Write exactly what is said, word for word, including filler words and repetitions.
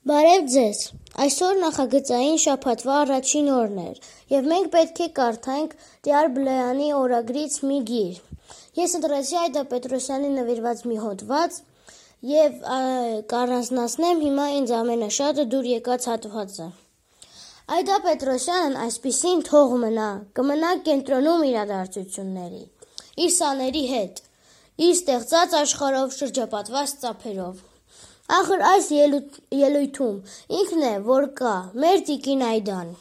Բարև ձեզ, այսօր նախագծային շաբաթվա առաջին օրն էր և մենք պետք է կարդանք Տյար Բլեյանի օրագրից մի գիր։ Ես ընտրեցի Այդա Պետրոսյանի նվիրված մի հոդված և կառանձնացնեմ հիմա ինձ ամենաշատը դուր եկած հատվածը։ Այդա Պետրոսյանն այսպիսին թող մնա, կմնա կենտրոնում իրադարձությունների, իր սաների հետ, իր ստեղծած աշխարհով շրջապատված ծափերով։ Ախր այս ելույթում ինքն է, որ կա, մեր տիկին Այդան։